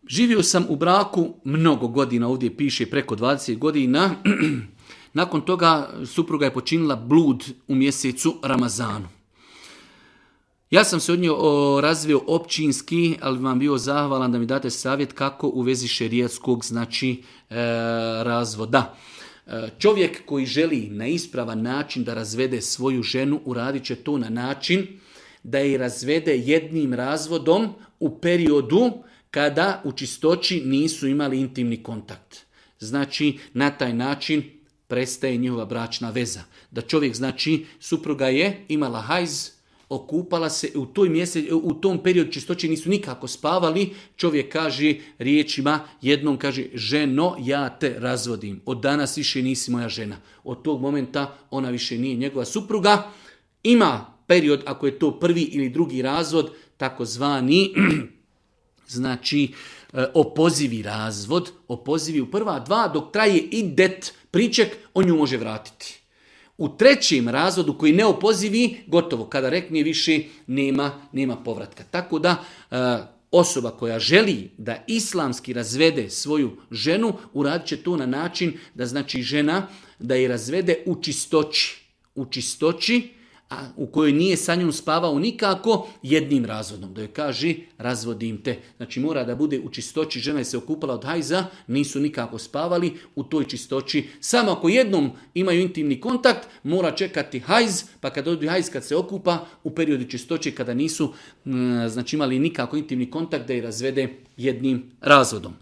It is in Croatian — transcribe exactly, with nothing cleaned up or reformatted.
Živio sam u braku mnogo godina, ovdje piše preko dvadeset godina. Nakon toga supruga je počinila blud u mjesecu Ramazanu. Ja sam se od nje razvio općinski, ali vam bio zahvalan da mi date savjet kako u vezi šerijatskog, znači e, razvoda. E, čovjek koji želi na ispravan način da razvede svoju ženu, uradit će to na način da je razvede jednim razvodom u periodu kada u čistoći nisu imali intimni kontakt. Znači, na taj način prestaje njihova bračna veza. Da čovjek, znači, supruga je imala hajz, okupala se, u, toj mjesec, u tom periodu čistoće nisu nikako spavali, čovjek kaže riječima, jednom kaže, ženo, ja te razvodim, od danas više nisi moja žena. Od tog momenta ona više nije njegova supruga. Ima period, ako je to prvi ili drugi razvod, takozvani znači opozivi razvod, opozivi u prva dva, dok traje idet priček, on nju može vratiti. U trećem razvodu koji ne opozivi, gotovo, kada rekne više, nema, nema povratka. Tako da osoba koja želi da islamski razvede svoju ženu, uradit će to na način da znači žena da je razvede u čistoći. U čistoći, a u kojoj nije sa njom spavao nikako, jednim razvodom. Da joj kaže, razvodim te. Znači mora da bude u čistoći, žena je se okupala od hajza, nisu nikako spavali u toj čistoći. Samo ako jednom imaju intimni kontakt, mora čekati hajz, pa kad dođe hajz, kad se okupa, u periodu čistoće, kada nisu znači imali nikako intimni kontakt, da je razvede jednim razvodom.